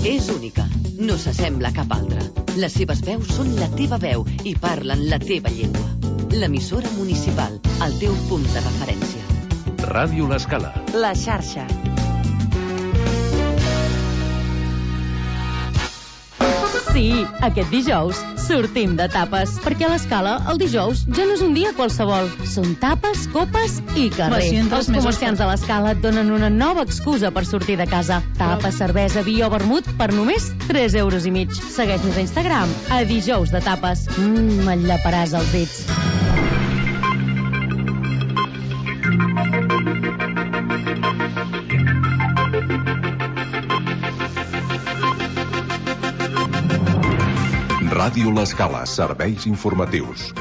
És única, no s'assembla a cap altra. Les seves veus són la teva veu i parlen la teva llengua. L'emissora municipal, el teu punt de referència. Ràdio L'Escala. La xarxa. Sí, aquest dijous sortim de tapes, perquè a l'Escala el dijous ja no és un dia qualsevol. Són tapes, copes i carrer. Els comerciants de l'Escala et donen una nova excusa per sortir de casa. Tapes, cervesa, vi o vermut per només 3,5 €. Segueix-nos a Instagram, a dijous de tapes. Et llaparàs els dits. Ràdio L'Escala, serveis informatius.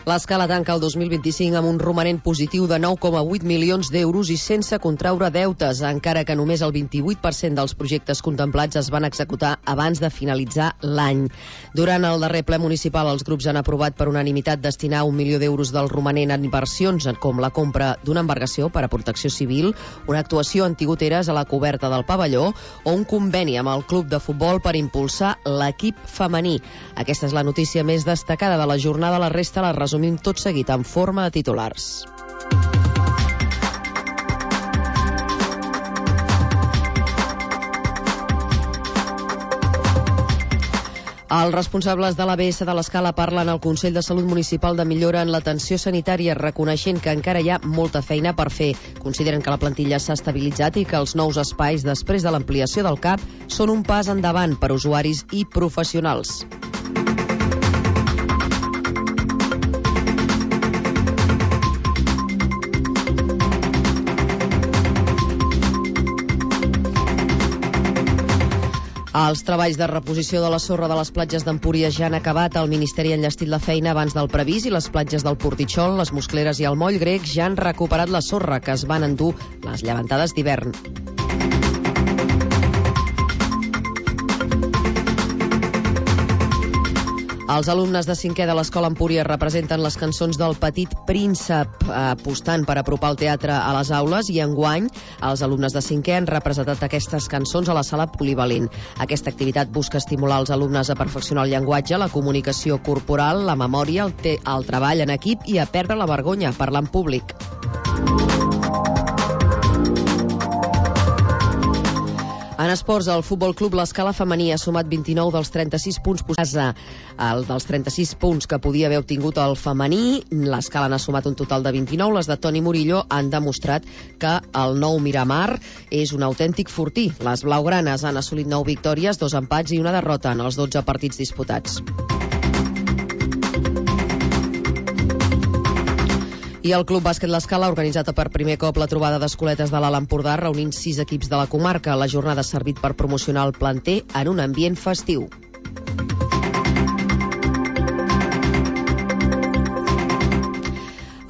L'Escala tanca el 2025 amb un romanent positiu de 9,8 milions d'euros i sense contraure deutes, encara que només el 28% dels projectes contemplats es van executar abans de finalitzar l'any. Durant el darrer ple municipal, els grups han aprovat per unanimitat destinar 1 milió d'euros del romanent en inversions, com la compra d'una embarcació per a protecció civil, una actuació antigoteres a la coberta del pavelló o un conveni amb el club de futbol per impulsar l'equip femení. Aquesta és la notícia més destacada de la jornada. La resta la resumim tot seguit en forma de titulars. Els responsables de l'ABS de l'Escala parlen al Consell de Salut Municipal de millora en l'atenció sanitària, reconeixent que encara hi ha molta feina per fer. Consideren que la plantilla s'ha estabilitzat i que els nous espais després de l'ampliació del CAP són un pas endavant per a usuaris i professionals. Els treballs de reposició de la sorra de les platges d'Empúries ja han acabat. El Ministeri ha enllestit la feina abans del previst i les platges del Portitxol, les Moscleres i el Moll Grec ja han recuperat la sorra que es van endur les llevantades d'hivern. Els alumnes de 5è de l'Escola Empúries representen les cançons del Petit Príncep, apostant per apropar el teatre a les aules, i enguany els alumnes de 5è han representat aquestes cançons a la sala polivalent. Aquesta activitat busca estimular els alumnes a perfeccionar el llenguatge, la comunicació corporal, la memòria, el treball en equip i a perdre la vergonya, parlar en públic. En esports, el Futbol Club L'Escala femení ha sumat 29 dels 36 punts posats. Dels 36 punts que podia haver obtingut el femení, l'Escala n'ha sumat un total de 29. Les de Toni Murillo han demostrat que el nou Miramar és un autèntic fortí. Les blaugranes han assolit 9 victòries, 2 empats i una derrota en els 12 partits disputats. I el Club Bàsquet L'Escala ha organitzat per primer cop la trobada d'escoletes de l'Alt Empordà, reunint 6 equips de la comarca. La jornada ha servit per promocionar el planter en un ambient festiu.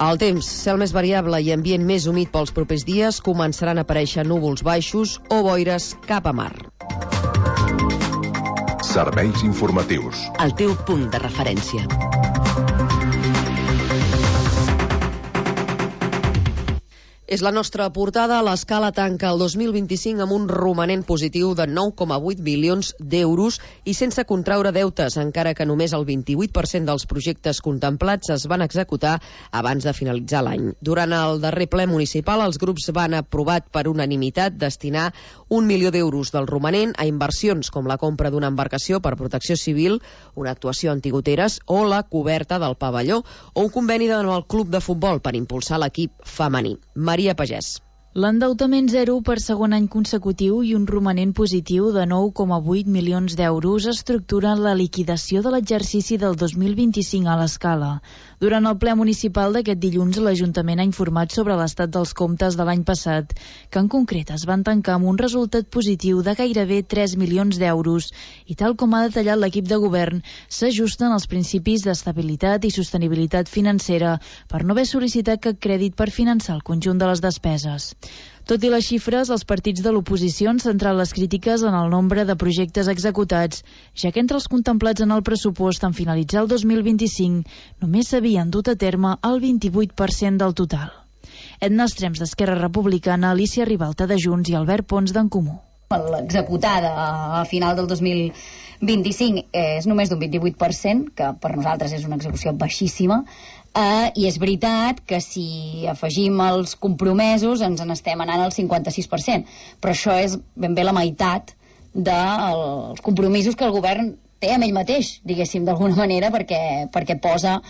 El temps, cel més variable i ambient més humit pels propers dies, començaran a aparèixer núvols baixos o boires cap a mar. Serveis informatius. El teu punt de referència. És la nostra portada. L'Escala tanca el 2025 amb un romanent positiu de 9,8 milions d'euros i sense contraure deutes, encara que només el 28% dels projectes contemplats es van executar abans de finalitzar l'any. Durant el darrer ple municipal, els grups van aprovar per unanimitat destinar 1 milió d'euros del romanent a inversions com la compra d'una embarcació per protecció civil, una actuació antigoteres o la coberta del pavelló, o un conveni amb el club de futbol per impulsar l'equip femení. Maria Pagès. L'endeutament zero per segon any consecutiu i un romanent positiu de 9,8 milions d'euros estructuren la liquidació de l'exercici del 2025 a l'Escala. Durant el ple municipal d'aquest dilluns, l'Ajuntament ha informat sobre l'estat dels comptes de l'any passat, que en concret es van tancar amb un resultat positiu de gairebé 3 milions d'euros i, tal com ha detallat l'equip de govern, s'ajusten als principis d'estabilitat i sostenibilitat financera per no haver sol·licitat cap crèdit per finançar el conjunt de les despeses. Tot i les xifres, els partits de l'oposició han centrat les crítiques en el nombre de projectes executats, ja que entre els contemplats en el pressupost en finalitzar el 2025 només s'havien dut a terme el 28% del total. Edna Estrems, d'Esquerra Republicana, Alicia Ribalta, de Junts, i Albert Pons, d'en Comú. L'executada a final del 2025 és només d'un 28%, que per nosaltres és una execució baixíssima, i és veritat que si afegim els compromesos ens n'estem anant al 56%, però això és ben bé la meitat dels compromisos que el govern té amb ell mateix, diguéssim, d'alguna manera, perquè posa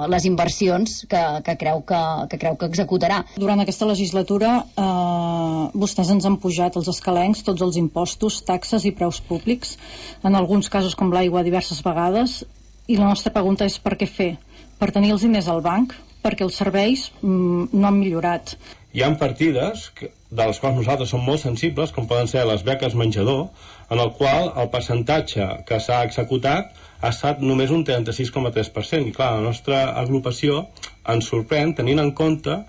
les inversions que creu que executarà. Durant aquesta legislatura vostès ens han pujat els escalencs tots els impostos, taxes i preus públics, en alguns casos com l'aigua diverses vegades, i la nostra pregunta és per què fer? Per tenir els diners al banc? Perquè els serveis no han millorat. Hi ha partides de les quals nosaltres som molt sensibles, com poden ser les beques menjador, en el qual el percentatge que s'ha executat ha estat només un 36,3%. I clar, la nostra agrupació ens sorprèn tenint en compte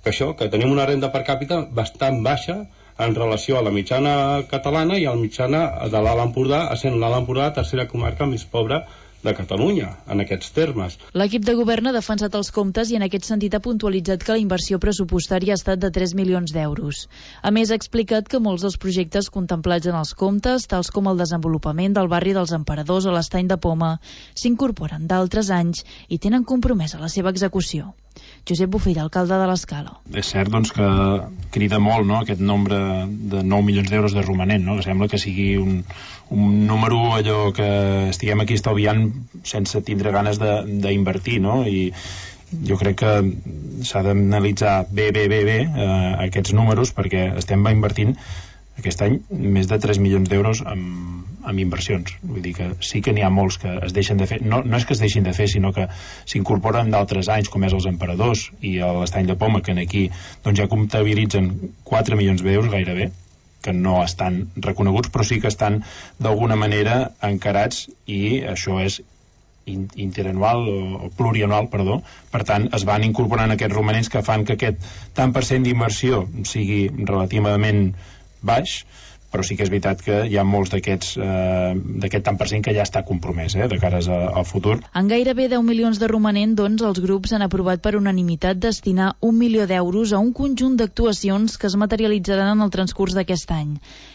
que tenim una renda per càpita bastant baixa en relació a la mitjana catalana i a la mitjana de l'Alt Empordà, essent l'Alt Empordà la tercera comarca més pobra de Catalunya, en aquests termes. L'equip de govern ha defensat els comptes i en aquest sentit ha puntualitzat que la inversió pressupostària ha estat de 3 milions d'euros. A més, ha explicat que molts dels projectes contemplats en els comptes, tals com el desenvolupament del barri dels Emperadors o l'Estany de Poma, s'incorporen d'altres anys i tenen compromesa la seva execució. Josep Bofill, alcalde de l'Escala. És cert doncs, que crida molt, no?, aquest nombre de 9 milions d'euros de romanent, no?, que sembla que sigui un número allò que estiguem aquí estalviant sense tindre ganes d'invertir, no?, i jo crec que s'ha d'analitzar bé aquests números, perquè estem invertint aquest any més de 3 milions d'euros en inversions. Vull dir que sí que n'hi ha molts que es deixen de fer. No és que es deixin de fer, sinó que s'incorporen d'altres anys, com és els Emperadors i l'Estany de Poma, que aquí doncs, ja comptabilitzen 4 milions d'euros gairebé, que no estan reconeguts, però sí que estan d'alguna manera encarats, i això és interanual o plurianual, perdó. Per tant, es van incorporant aquests romanents que fan que aquest tant per cent d'inversió sigui relativament baix, però sí que és veritat que hi ha molts d'aquest tant per cent que ja està compromès de cares al futur. En gairebé 10 milions de romanent, doncs, els grups han aprovat per unanimitat destinar 1 milió d'euros a un conjunt d'actuacions que es materialitzaran en el transcurs d'aquest any.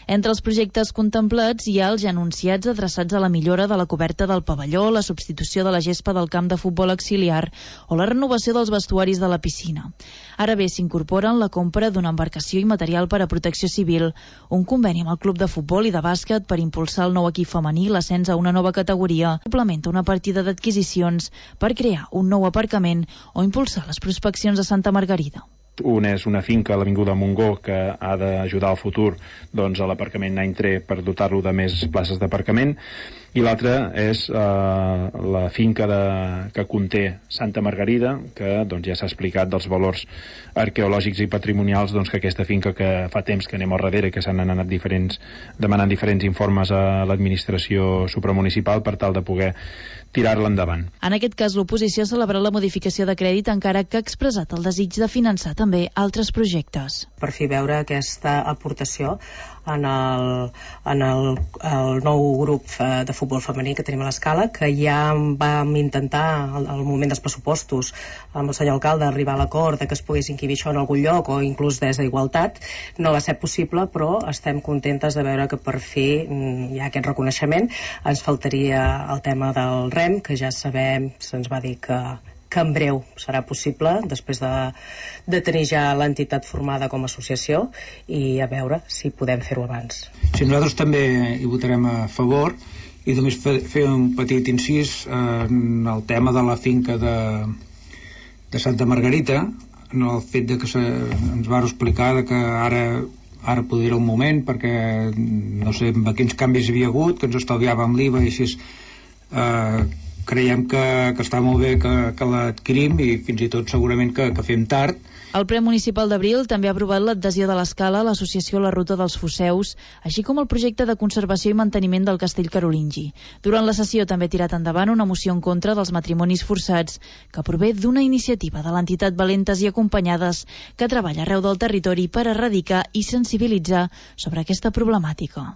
Entre els projectes contemplats hi ha els ja anunciats adreçats a la millora de la coberta del pavelló, la substitució de la gespa del camp de futbol auxiliar o la renovació dels vestuaris de la piscina. Ara bé, s'incorporen la compra d'una embarcació i material per a protecció civil, un conveni amb el club de futbol i de bàsquet per impulsar el nou equip femení, l'ascens a una nova categoria, complementa una partida d'adquisicions per crear un nou aparcament o impulsar les prospeccions a Santa Margarida. Un és una finca a l'Avinguda Montgó que ha d'ajudar al futur doncs, a l'aparcament any 3 per dotar-lo de més places d'aparcament, i l'altra és la finca que conté Santa Margarida, que doncs, ja s'ha explicat dels valors arqueològics i patrimonials, doncs, que aquesta finca que fa temps que anem al darrere, que s'han anat demanant diferents informes a l'administració supramunicipal per tal de poder tirar-la endavant. En aquest cas, l'oposició ha celebrat la modificació de crèdit, encara que ha expressat el desig de finançar també altres projectes. Per fi veure aquesta aportació en el nou grup de futbol femení que tenim a l'Escala, que ja vam intentar al moment dels pressupostos amb el senyor alcalde arribar a l'acord de que es pogués inquibir això en algun lloc o inclús des d'Igualtat. No va ser possible, però estem contentes de veure que per fi hi ha aquest reconeixement. Ens faltaria el tema del REM, que ja sabem, se'ns va dir que en breu serà possible, després de tenir ja l'entitat formada com a associació, i a veure si podem fer-ho abans. Sí, nosaltres també hi votarem a favor, i només fer un petit incís en el tema de la finca de Santa Margarita, en el fet de que ens va explicar que ara podria el moment, perquè no sé quins canvis hi havia hagut, que ens estalviàvem l'IVA, i així creiem que està molt bé que l'adquirim, i fins i tot segurament que fem tard. El ple municipal d'Abril també ha aprovat l'adhesió de l'Escala a l'associació La Ruta dels Foseus, així com el projecte de conservació i manteniment del castell carolingi. Durant la sessió també ha tirat endavant una moció en contra dels matrimonis forçats, que prové d'una iniciativa de l'entitat Valentes i Acompanyades, que treballa arreu del territori per erradicar i sensibilitzar sobre aquesta problemàtica.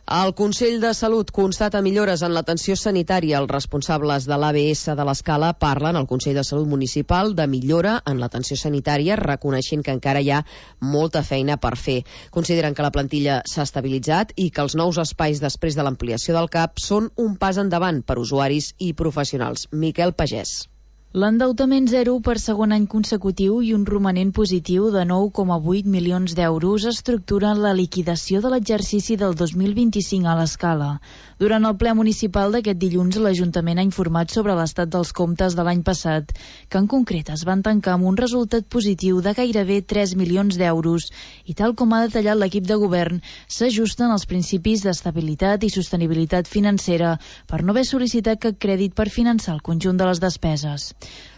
El Consell de Salut constata millores en l'atenció sanitària. Els responsables de l'ABS de l'Escala parlen al Consell de Salut Municipal de millora en l'atenció sanitària, reconeixent que encara hi ha molta feina per fer. Consideren que la plantilla s'ha estabilitzat i que els nous espais després de l'ampliació del CAP són un pas endavant per usuaris i professionals. Miquel Pagès. L'endeutament zero per segon any consecutiu i un romanent positiu de 9,8 milions d'euros estructuren la liquidació de l'exercici del 2025 a l'Escala. Durant el ple municipal d'aquest dilluns, l'Ajuntament ha informat sobre l'estat dels comptes de l'any passat, que en concret es van tancar amb un resultat positiu de gairebé 3 milions d'euros i, tal com ha detallat l'equip de govern, s'ajusten als principis d'estabilitat i sostenibilitat financera per no haver sol·licitat cap crèdit per finançar el conjunt de les despeses.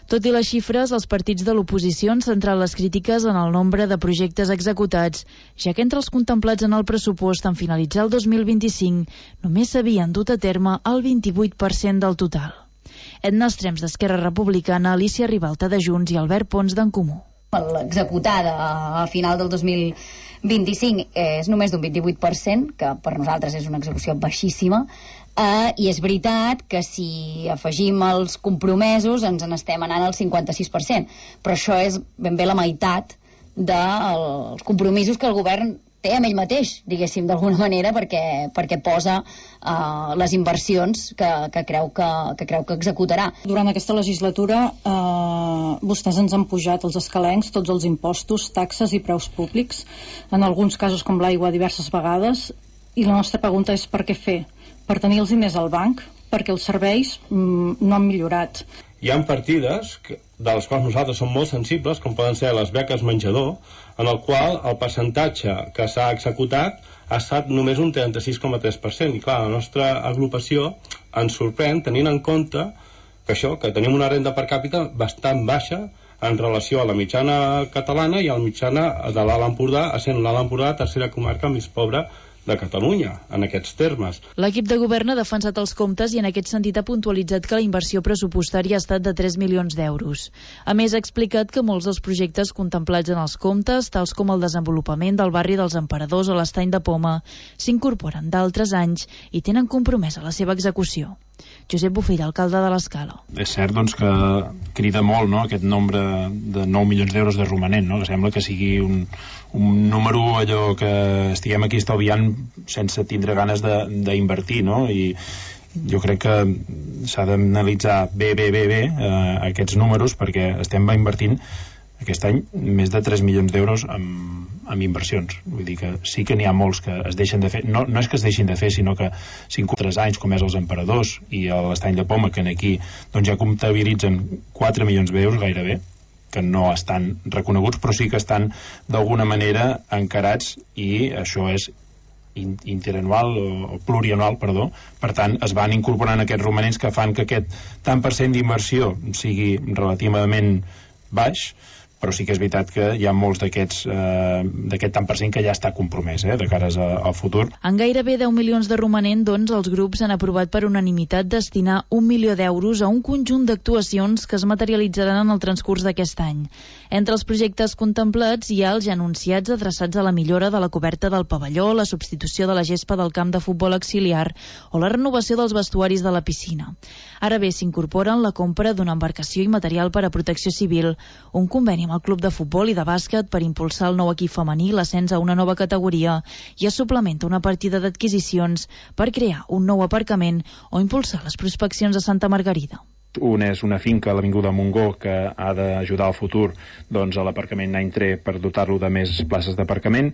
Tot i les xifres, els partits de l'oposició han centrat les crítiques en el nombre de projectes executats, ja que entre els contemplats en el pressupost en finalitzar el 2025 només s'havien dut a terme el 28% del total. Edna Estrems, d'Esquerra Republicana, Alicia Ribalta, de Junts, i Albert Pons, d'En Comú. L'executada a final del 2025 és només d'un 28%, que per nosaltres és una execució baixíssima, i és veritat que si afegim els compromesos ens n'estem anant al 56%, però això és ben bé la meitat dels compromisos que el govern té amb ell mateix, diguéssim, d'alguna manera, perquè posa les inversions que creu que executarà. Durant aquesta legislatura vostès ens han pujat els escalencs tots els impostos, taxes i preus públics, en alguns casos com l'aigua diverses vegades, i la nostra pregunta és per què fer? Per tenir els diners al banc, perquè els serveis no han millorat. Hi ha partides de les quals nosaltres som molt sensibles, com poden ser les beques menjador, en el qual el percentatge que s'ha executat ha estat només un 36,3%. I clar, la nostra agrupació ens sorprèn tenint en compte que tenim una renda per càpita bastant baixa en relació a la mitjana catalana i a la mitjana de l'Alt Empordà, essent l'Alt Empordà la tercera comarca més pobra de Catalunya, en aquests termes. L'equip de govern ha defensat els comptes i en aquest sentit ha puntualitzat que la inversió pressupostària ha estat de 3 milions d'euros. A més, ha explicat que molts dels projectes contemplats en els comptes, tals com el desenvolupament del barri dels Emperadors o l'Estany de Poma, s'incorporen d'altres anys i tenen compromesa la seva execució. Josep Bofill, alcalde de l'Escala. És cert doncs, que crida molt, no?, aquest nombre de 9 milions d'euros de romanent, no?, que sembla que sigui un número allò que estiguem aquí estalviant sense tindre ganes d'invertir, no?, i jo crec que s'ha d'analitzar bé aquests números, perquè estem invertint aquest any més de 3 milions d'euros en inversions. Vull dir que sí que n'hi ha molts que es deixen de fer. No és que es deixin de fer, sinó que 3 anys, com és els Emperadors i l'Estany de Poma, que aquí doncs, ja comptabilitzen 4 milions d'euros gairebé, que no estan reconeguts, però sí que estan d'alguna manera encarats, i això és interanual o plurianual, perdó. Per tant, es van incorporant aquests romanents que fan que aquest tant per cent d'inversió sigui relativament baix, però sí que és veritat que hi ha molts d'aquest tant per cent que ja està compromès de cares al futur. En gairebé 10 milions de romanent, doncs, els grups han aprovat per unanimitat destinar 1 milió d'euros a un conjunt d'actuacions que es materialitzaran en el transcurs d'aquest any. Entre els projectes contemplats hi ha els ja anunciats adreçats a la millora de la coberta del pavelló, la substitució de la gespa del camp de futbol auxiliar o la renovació dels vestuaris de la piscina. Ara bé, s'incorporen la compra d'una embarcació i material per a protecció civil, un conveni amb el club de futbol i de bàsquet per impulsar el nou equip femení, l'ascens a una nova categoria, i es suplementa una partida d'adquisicions per crear un nou aparcament o impulsar les prospeccions a Santa Margarida. Un és una finca a l'Avinguda Montgó que ha d'ajudar al futur doncs, a l'aparcament any 3 per dotar-lo de més places d'aparcament,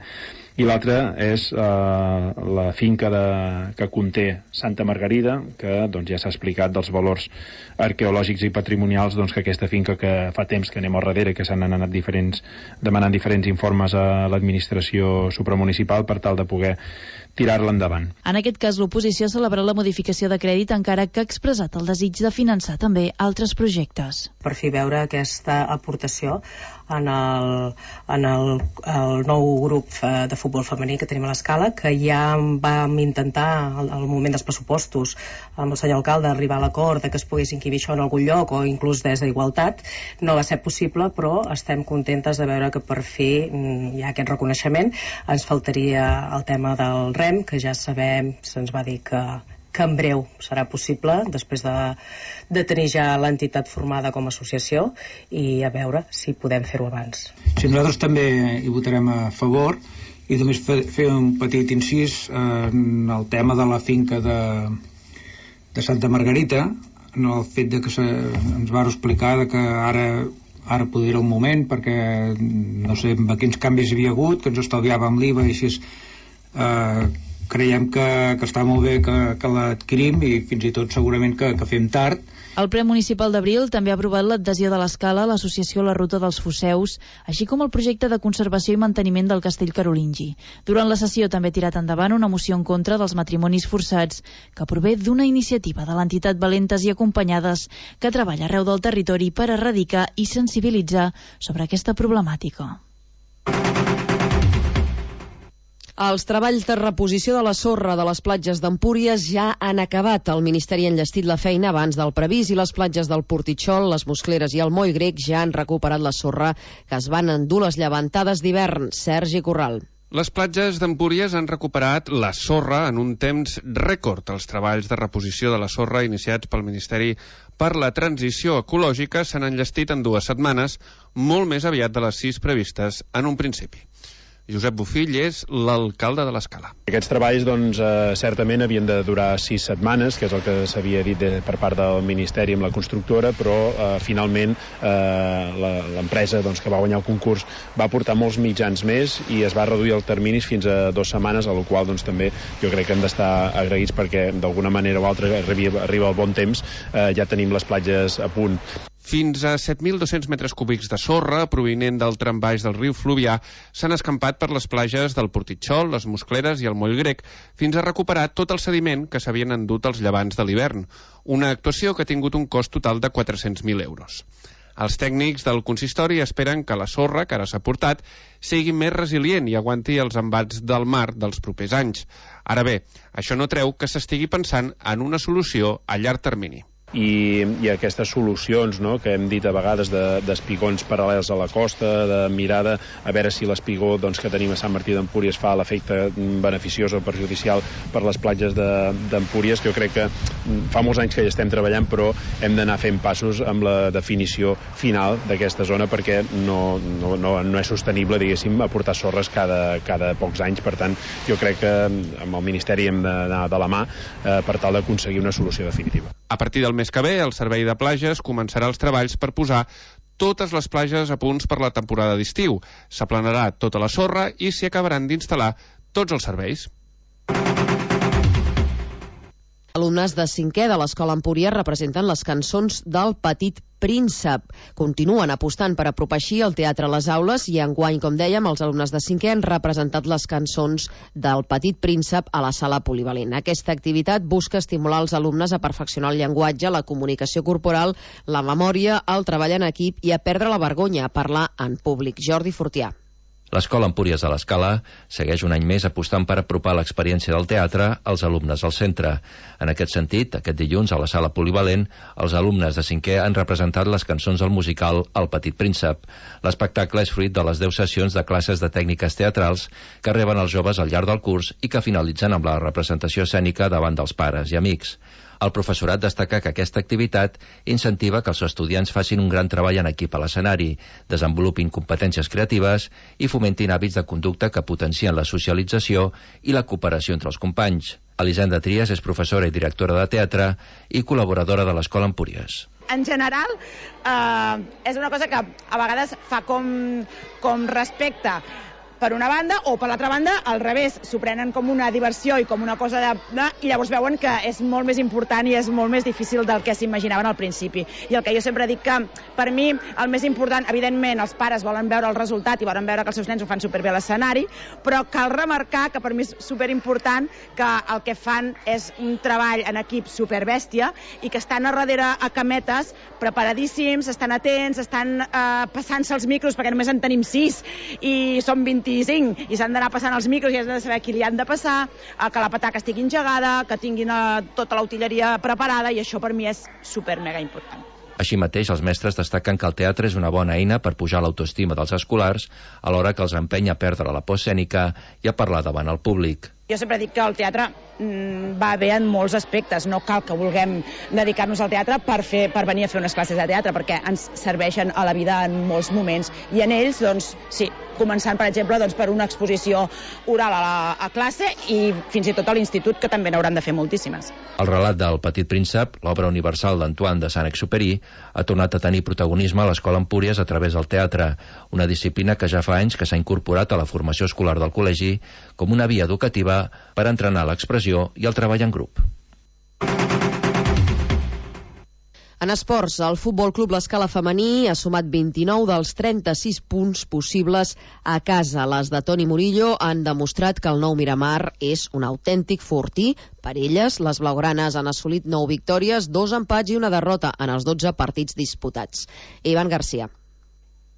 i l'altra és la finca que conté Santa Margarida, que doncs, ja s'ha explicat dels valors arqueològics i patrimonials, doncs, que aquesta finca que fa temps que anem al darrere, que s'han anat demanant diferents informes a l'administració supramunicipal per tal de poder tirar-la endavant. En aquest cas, l'oposició ha celebrat la modificació de crèdit, encara que ha expressat el desig de finançar també altres projectes. Per fi veure aquesta aportació en el nou grup de futbol femení que tenim a l'Escala, que ja vam intentar al moment dels pressupostos amb el senyor alcalde arribar a l'acord que es pogués inquibir això en algun lloc o inclús des d'Igualtat. No va ser possible, però estem contentes de veure que per fi hi ha aquest reconeixement. Ens faltaria el tema del REM, que ja sabem, se'ns va dir que en breu serà possible, després de tenir ja l'entitat formada com a associació, i a veure si podem fer-ho abans. Sí, nosaltres també hi votarem a favor, i només fer un petit incís en el tema de la finca de Santa Margarita, en el fet de que ens va explicar que ara poder era el moment, perquè no sé quins canvis hi havia hagut, que ens estalviàvem l'IVA i així creiem que està molt bé que l'adquirim, i fins i tot segurament que fem tard. El ple municipal d'Abril també ha aprovat l'adhesió de l'Escala a l'associació La Ruta dels Foseus, així com el projecte de conservació i manteniment del castell carolingi. Durant la sessió també ha tirat endavant una moció en contra dels matrimonis forçats, que prové d'una iniciativa de l'entitat Valentes i Acompanyades, que treballa arreu del territori per erradicar i sensibilitzar sobre aquesta problemàtica. Els treballs de reposició de la sorra de les platges d'Empúries ja han acabat. El Ministeri ha enllestit la feina abans del previst i les platges del Portitxol, les Moscleres i el Moll Grec ja han recuperat la sorra que es van endur les llevantades d'hivern. Sergi Corral. Les platges d'Empúries han recuperat la sorra en un temps rècord. Els treballs de reposició de la sorra iniciats pel Ministeri per la Transició Ecològica s'han enllestit en 2 setmanes, molt més aviat de les 6 previstes en un principi. Josep Bofill és l'alcalde de l'Escala. Aquests treballs, certament havien de durar 6 setmanes, que és el que s'havia dit per part del Ministeri amb la constructora, però finalment l'empresa que va guanyar el concurs va portar molts mitjans més i es va reduir el termini fins a 2 setmanes, a la qual també jo crec que hem d'estar agraïts, perquè d'alguna manera o altra arriba el bon temps, ja tenim les platges a punt. Fins a 7.200 metres cúbics de sorra provinent del trambaix del riu Fluvià s'han escampat per les platges del Portitxol, les Moscleres i el Moll Grec, fins a recuperar tot el sediment que s'havien endut els llevants de l'hivern, una actuació que ha tingut un cost total de 400.000 euros. Els tècnics del consistori esperen que la sorra que ara s'ha portat sigui més resilient i aguanti els embats del mar dels propers anys. Ara bé, això no treu que s'estigui pensant en una solució a llarg termini. I aquestes solucions que hem dit a vegades d'espigons paral·lels a la costa, de mirada a veure si l'espigó que tenim a Sant Martí d'Empúries fa l'efecte beneficiós o perjudicial per les platges d'Empúries, que jo crec que fa molts anys que hi estem treballant, però hem d'anar fent passos amb la definició final d'aquesta zona, perquè no és sostenible, diguéssim, aportar sorres cada pocs anys. Per tant, jo crec que amb el Ministeri hem d'anar de la mà per tal d'aconseguir una solució definitiva. A partir del mes que ve, el Servei de Plages començarà els treballs per posar totes les platges a punts per la temporada d'estiu. S'aplanarà tota la sorra i s'hi acabaran d'instal·lar tots els serveis. Alumnes de 5è de l'Escola Empúries representen les cançons del Petit Príncep. Continuen apostant per apropar així el teatre a les aules i enguany, com dèiem, els alumnes de 5è han representat les cançons del Petit Príncep a la sala polivalent. Aquesta activitat busca estimular els alumnes a perfeccionar el llenguatge, la comunicació corporal, la memòria, el treball en equip i a perdre la vergonya a parlar en públic. Jordi Fortià. L'Escola Empúries de l'Escala segueix un any més apostant per apropar l'experiència del teatre als alumnes al centre. En aquest sentit, aquest dilluns a la sala polivalent, els alumnes de 5è han representat les cançons del musical El Petit Príncep. L'espectacle és fruit de les 10 sessions de classes de tècniques teatrals que reben els joves al llarg del curs i que finalitzen amb la representació escènica davant dels pares i amics. El professorat destaca que aquesta activitat incentiva que els estudiants facin un gran treball en equip a l'escenari, desenvolupin competències creatives i fomentin hàbits de conducta que potencien la socialització i la cooperació entre els companys. Elisenda Trias és professora i directora de teatre i col·laboradora de l'Escola Empúries. En general, és una cosa que a vegades fa com respecte, per una banda, o per l'altra banda, al revés, s'ho prenen com una diversió i com una cosa i llavors veuen que és molt més important i és molt més difícil del que s'imaginaven al principi. I el que jo sempre dic que, per mi, el més important, evidentment, els pares volen veure el resultat i volen veure que els seus nens ho fan superbé a l'escenari, però cal remarcar que per mi és superimportant que el que fan és un treball en equip superbèstia i que estan a darrere a cametes preparadíssims, estan atents, estan passant-se els micros, perquè només en tenim 6 i som 25 i s'han d'anar passant els micros i has de saber qui li han de passar, que la pataca estigui engegada, que tinguin tota l'utilleria preparada, i això per mi és super mega important. Així mateix, els mestres destaquen que el teatre és una bona eina per pujar l'autoestima dels escolars, alhora que els empenya a perdre la por escènica i a parlar davant el públic. Jo sempre dic que el teatre va bé en molts aspectes, no cal que vulguem dedicar-nos al teatre per venir a fer unes classes de teatre, perquè ens serveixen a la vida en molts moments, i en ells, doncs, sí, començant, per exemple, doncs, per una exposició oral a classe i fins i tot a l'institut, que també n'hauran de fer moltíssimes. El relat del Petit Príncep, l'obra universal d'Antoine de Saint-Exupéry, ha tornat a tenir protagonisme a l'Escola Empúries a través del teatre, una disciplina que ja fa anys que s'ha incorporat a la formació escolar del col·legi com una via educativa per entrenar l'expressió i el treball en grup. En esports, el Futbol Club L'Escala femení ha sumat 29 dels 36 punts possibles a casa. Les de Toni Murillo han demostrat que el nou Miramar és un autèntic fortí. Per elles, les blaugranes han assolit 9 victòries, 2 empats i una derrota en els 12 partits disputats. Ivan Garcia.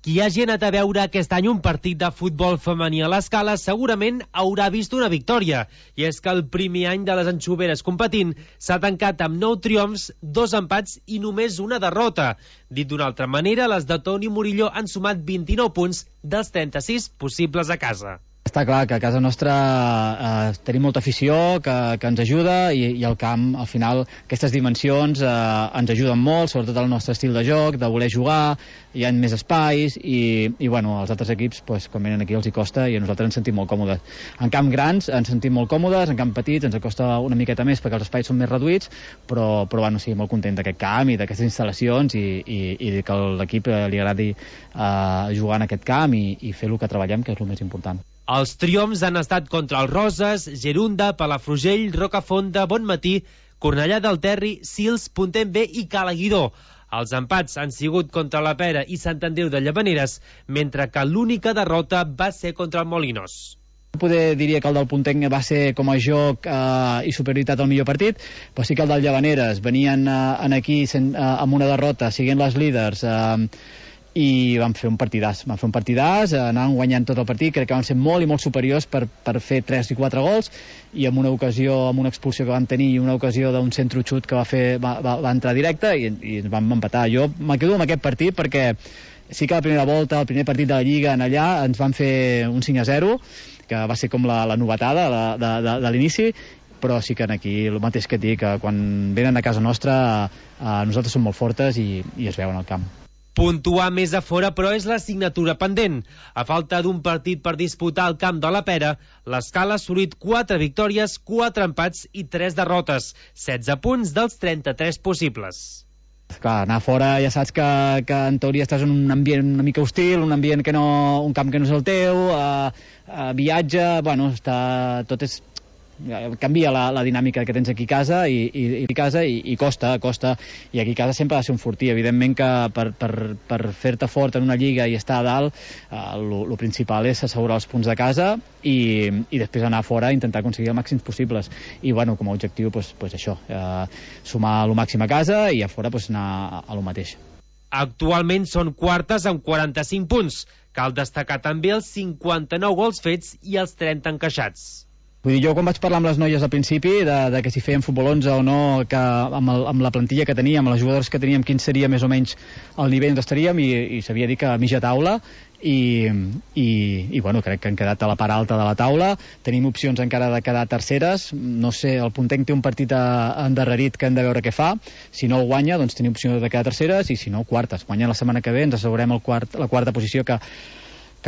Qui hagi anat a veure aquest any un partit de futbol femení a l'Escala segurament haurà vist una victòria. I és que el primer any de les anxoveres competint s'ha tancat amb 9 triomfs, 2 empats i només una derrota. Dit d'una altra manera, les de Toni Murillo han sumat 29 punts dels 36 possibles a casa. Està clar que a casa nostra tenim molta afició que ens ajuda i el camp, al final, aquestes dimensions ens ajuden molt, sobretot el nostre estil de joc, de voler jugar, hi ha més espais i bueno, als altres equips, pues, quan venen aquí els hi costa i a nosaltres ens sentim molt còmodes. En camp grans ens sentim molt còmodes, en camp petits ens costa una miqueta més perquè els espais són més reduïts, però bueno, sí, molt content d'aquest camp i d'aquestes instal·lacions i que a l'equip li agradi jugar en aquest camp i fer el que treballem, que és el més important. Els triomfs han estat contra els Roses, Gerunda, Palafrugell, Rocafonda, Bonmatí, Cornellà del Terri, Sils, Pontem B i Calaguidó. Els empats han sigut contra la Pera i Sant Andreu de Llavaneres, mentre que l'única derrota va ser contra el Molinos. Poder diria que el del Ponteng va ser com a joc i superioritat al millor partit, però sí que el del Llavaneres venien aquí amb una derrota, siguent les líders, i van fer un partidàs, anaven guanyant tot el partit, crec que van ser molt i molt superiors per fer 3 i 4 gols, i amb una ocasió, amb una expulsió que van tenir i una ocasió d'un centre xut que va entrar directe i ens vam empatar. Jo me quedo amb aquest partit perquè sí que la primera volta, el primer partit de la Lliga en allà, ens van fer un 5-0, que va ser com la novetada de l'inici, però sí que aquí el mateix que et dic, que quan venen a casa nostra nosaltres som molt fortes i es veuen al camp. Puntuar més a fora, però és l'assignatura pendent. A falta d'un partit per disputar al camp de la Pera, l'Escala ha assolit 4 victòries, 4 empats i 3 derrotes, 16 punts dels 33 possibles. Clar, anar fora ja saps que en teoria estàs en un ambient una mica hostil, un ambient que no, un camp que no és el teu, viatge, bueno, tot és... canvia la dinàmica que tens aquí a casa i costa, i aquí a casa sempre ha de ser un fortí. Evidentment que per fer-te fort en una lliga i estar a dalt, el principal és assegurar els punts de casa i després anar a fora i intentar aconseguir els màxims possibles, i bueno, com a objectiu pues això, sumar el màxim a casa i a fora pues anar a lo mateix. Actualment són quartes amb 45 punts. Cal destacar també els 59 gols fets i els 30 encaixats. Vull dir, jo quan vaig parlar amb les noies al principi de que si feien futbol 11 o no, que amb la plantilla que teníem, amb les jugadores que teníem, quin seria més o menys el nivell on estaríem, i s'havia dit que a mitja taula, i bueno, crec que han quedat a la part alta de la taula. Tenim opcions encara de quedar terceres, no sé, el Ponteng té un partit endarrerit que hem de veure què fa, si no el guanya doncs tenim opció de quedar terceres, i si no quartes. Guanyant la setmana que ve ens assegurem la quarta posició, que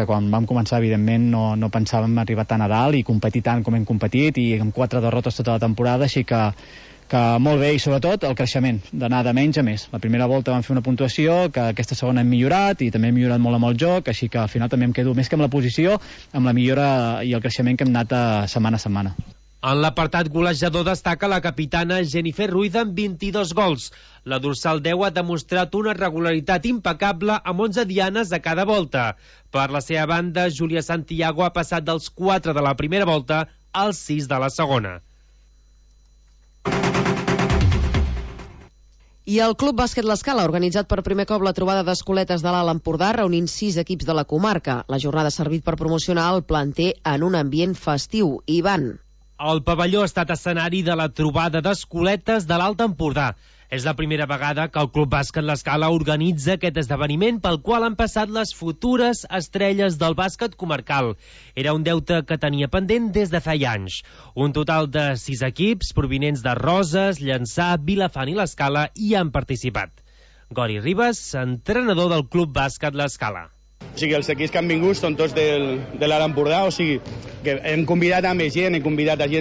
quan vam començar evidentment no pensàvem arribar tan a dalt i competir tant com hem competit, i amb 4 derrotes tota la temporada, així que que molt bé, i sobretot el creixement, d'anar de menys a més. La primera volta vam fer una puntuació, que aquesta segona hem millorat, i també hem millorat molt amb el joc, així que al final també em quedo més que amb la posició, amb la millora i el creixement que hem anat setmana a setmana. En l'apartat golejador destaca la capitana Jennifer Ruiz amb 22 gols. La dorsal 10 ha demostrat una regularitat impecable amb 11 dianes a cada volta. Per la seva banda, Júlia Santiago ha passat dels 4 de la primera volta als 6 de la segona. I el Club Bàsquet L'Escala ha organitzat per primer cop la trobada d'escoletes de l'Alt Empordà, reunint 6 equips de la comarca. La jornada ha servit per promocionar el planter en un ambient festiu. Ivan. El pavelló ha estat escenari de la trobada d'escoletes de l'Alt Empordà. És la primera vegada que el Club Bàsquet L'Escala organitza aquest esdeveniment pel qual han passat les futures estrelles del bàsquet comarcal. Era un deute que tenia pendent des de feia anys. Un total de 6 equips provinents de Roses, Llançà, Vilafant i L'Escala hi han participat. Gori Ribas, entrenador del Club Bàsquet L'Escala. O sigui, els equips que han vingut són tots de l'Alt Empordà, o sigui, que hem convidat a més gent,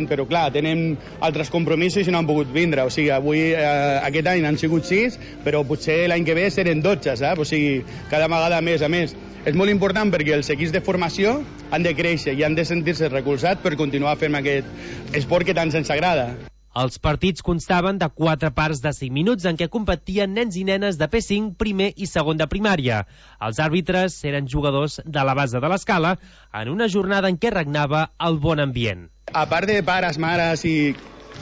però clar, tenen altres compromisos i no han pogut vindre, o sigui, avui, aquest any han sigut 6, però potser l'any que ve seran 12, saps? O sigui, cada vegada més a més. És molt important perquè els equips de formació han de créixer i han de sentir-se recolzats per continuar fent aquest esport que tant se'ns agrada. Els partits constaven de 4 parts de 5 minuts en què competien nens i nenes de P5, primer i segon de primària. Els àrbitres eren jugadors de la base de l'Escala en una jornada en què regnava el bon ambient. A part de pares, mares i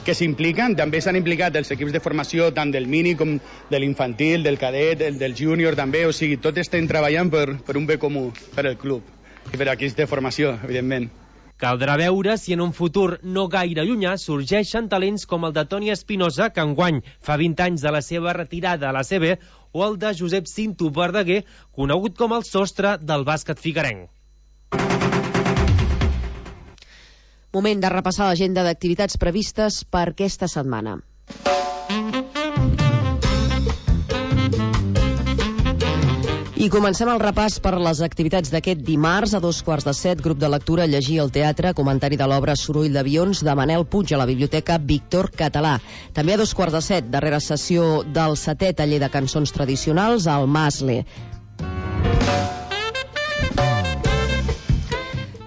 que s'impliquen, també s'han implicat els equips de formació tant del mini com de l'infantil, del cadet, del júnior també, o sigui, tots estem treballant per un bé comú, per el club i per equips de formació, evidentment. Caldrà veure si en un futur no gaire llunyà sorgeixen talents com el de Toni Espinosa, que enguany fa 20 anys de la seva retirada a la CB, o el de Josep Cinto Verdaguer, conegut com el sostre del bàsquet figuerenc. Moment de repassar l'agenda d'activitats previstes per aquesta setmana. I comencem el repàs per les activitats d'aquest dimarts. A 7:15, grup de lectura Llegir al teatre, comentari de l'obra Soroll d'avions de Manel Puig a la Biblioteca Víctor Català. També a 7:15, darrera sessió del 7è taller de cançons tradicionals al Masle.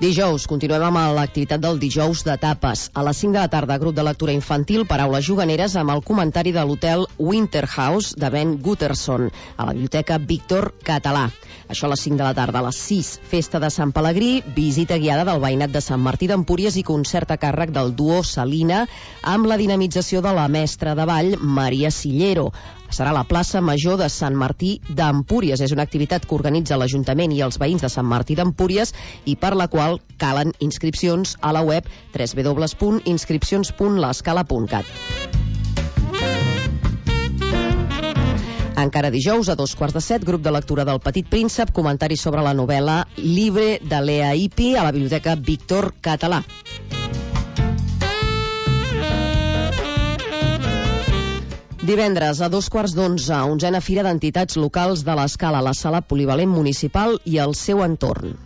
Dijous, continuem amb l'activitat del dijous de tapes. A les 5 de la tarda, grup de lectura infantil, paraules juganeres amb el comentari de l'hotel Winterhouse de Ben Gutterson, a la Biblioteca Víctor Català. Això a les 5 de la tarda. A les 6, festa de Sant Pelegrí, visita guiada del veïnat de Sant Martí d'Empúries i concert a càrrec del duo Salina amb la dinamització de la mestra de ball Maria Sillero. Serà a la plaça Major de Sant Martí d'Empúries. És una activitat que organitza l'Ajuntament i els veïns de Sant Martí d'Empúries i per la qual calen inscripcions a la web www.inscripcions.lescala.cat. Encara dijous, a 7:15, grup de lectura del Petit Príncep, comentari sobre la novel·la Libre de Lea Ipi a la Biblioteca Víctor Català. Divendres, a 11:15, 11a Fira d'Entitats Locals de l'Escala a la Sala Polivalent Municipal i el seu entorn.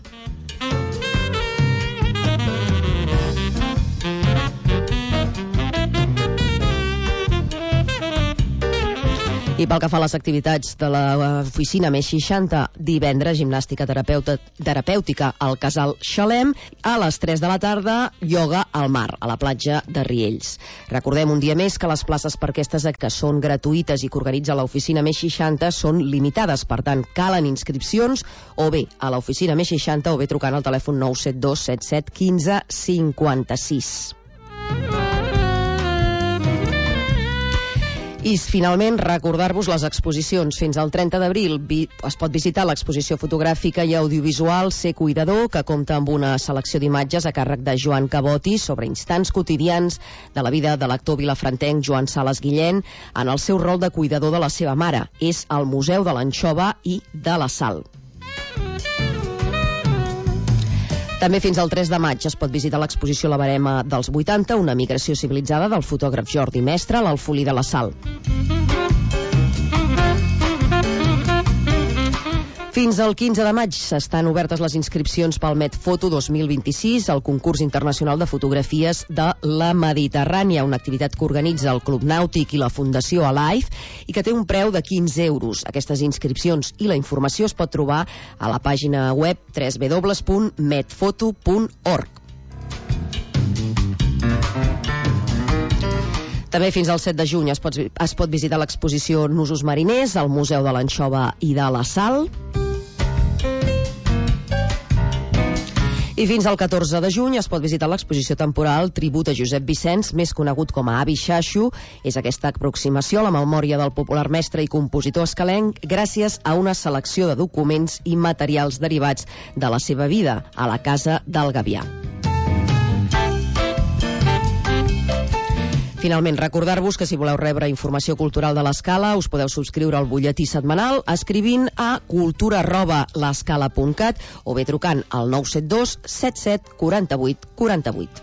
I pel que fa a les activitats de l'oficina més 60, divendres, gimnàstica terapèutica al Casal Xalem, a les 3 de la tarda, ioga al mar, a la platja de Riells. Recordem un dia més que les places per aquestes que són gratuïtes i que organitza l'oficina més 60 són limitades, per tant, calen inscripcions o bé a l'oficina més 60 o bé trucant al telèfon 972 77 15 56. I finalment recordar-vos les exposicions. Fins al 30 d'abril es pot visitar l'exposició fotogràfica i audiovisual Ser Cuidador, que compta amb una selecció d'imatges a càrrec de Joan Caboti sobre instants quotidians de la vida de l'actor vilafrantenc Joan Sales Guillén en el seu rol de cuidador de la seva mare. És al Museu de l'Anxova i de la Sal. També fins al 3 de maig es pot visitar l'exposició La Barema dels 80, una migració civilitzada del fotògraf Jordi Mestre a l'Alfolí de la Sal. Fins Fins al 15 de maig estan obertes les inscripcions pel Medfoto 2026, el concurs internacional de fotografies de la Mediterrània, una activitat que organitza el Club Nàutic i la Fundació Alive i que té un preu de 15 euros. Aquestes inscripcions i la informació es pot trobar a la pàgina web www.medfoto.org. També fins al 7 de juny es pot visitar l'exposició Nusos mariners al Museu de l'Anxova i de la Sal. I fins al 14 de juny es pot visitar l'exposició temporal Tribut a Josep Vicenç, més conegut com a Avi Xaxo. És aquesta aproximació a la memòria del popular mestre i compositor escalenc gràcies a una selecció de documents i materials derivats de la seva vida a la Casa del Gavià. Finalment, recordar-vos que si voleu rebre informació cultural de l'Escala us podeu subscriure al butlletí setmanal escrivint a cultura@l'escala.cat o bé trucant al 972 77 48 48.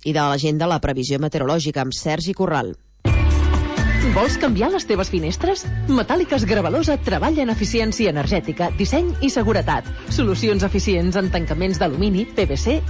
I de l'agenda, la previsió meteorològica amb Sergi Corral. Vols canviar les teves finestres? Metàl·liques Gravalosa treballa en eficiència energètica, disseny i seguretat. Solucions eficients en tancaments d'alumini, PVC